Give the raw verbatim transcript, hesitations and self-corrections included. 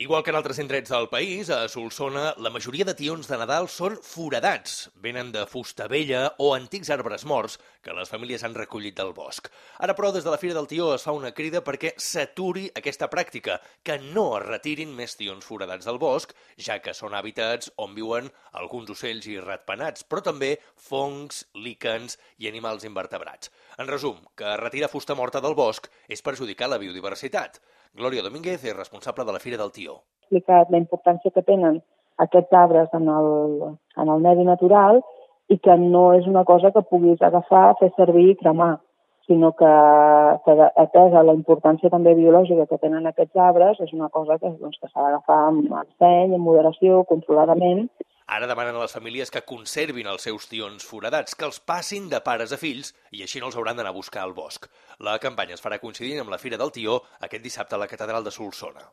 Igual que en altres indrets del país, a Solsona, la majoria de tions de Nadal són foradats. Venen de fusta vella o antics arbres morts que les famílies han recollit del bosc. Ara, però, des de la Fira del Tió es fa una crida perquè s'aturi aquesta pràctica, que no es retirin més tions foradats del bosc, ja que són hàbitats on viuen alguns ocells i ratpenats, però també fongs, líquens i animals invertebrats. En resum, que retirar fusta morta del bosc és perjudicar la biodiversitat. Glòria Domínguez és responsable de la Fira del Tió. Ha explicat la importància que tenen aquests arbres en el, en el medi natural i que no és una cosa que puguis agafar, fer servir i cremar, sinó que, que atesa la importància també biològica que tenen aquests arbres, és una cosa que, doncs, que s'ha d'agafar amb seny, amb moderació, controladament. Ara demanen a les famílies que conservin els seus tions foradats, que els passin de pares a fills i així no els hauran d'anar a buscar al bosc. La campanya es farà coincidint amb la Fira del Tió aquest dissabte a la Catedral de Solsona.